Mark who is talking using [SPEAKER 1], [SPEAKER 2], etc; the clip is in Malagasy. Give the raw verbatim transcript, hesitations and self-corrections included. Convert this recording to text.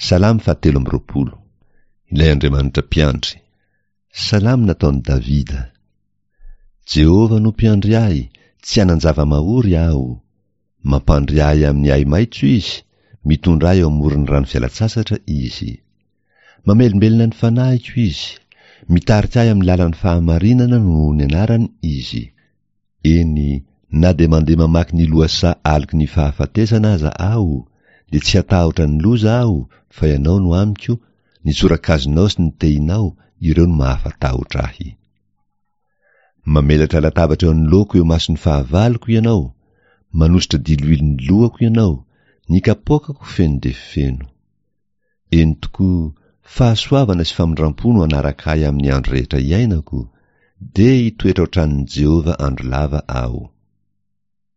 [SPEAKER 1] Salamo fahatelo amby roapolo. Ilay Andriamanitra mpiandry. Salamo nataon'i Davida. Jehovah no mpiandry ahy, tsy hanan-java-mahory aho. Mampandry ahy amin'ny ahi-maitso Izy, mitondra ahy eo amoron'ny rano fialan-tsasatra Izy. Mamelombelona ny fanahiko Izy, mitarika ahy amin'ny lalan'ny fahamarinana noho ny anarany Izy. Eny, na dia mandeha mamaky ny lohasaha aloky ny fahafatesana aza aho, dia tsy hatahotra ny loza aho, fa Ianao no amiko, ny tsorakazonao sy ny tehinao, ireo no mahafatahotra ahy. Mamelatra latabatra eo anoloako eo imason'ny fahavaloko Ianao, manosotra diloilo ny lohako Ianao, ny kapoakako feno dia feno. Eny tokoa, fahasoavana sy famindram-po no hanaraka ahy amin'ny andro rehetra iainako, dia hitoetra ao an-tranon'i Jehovah andro lava aho.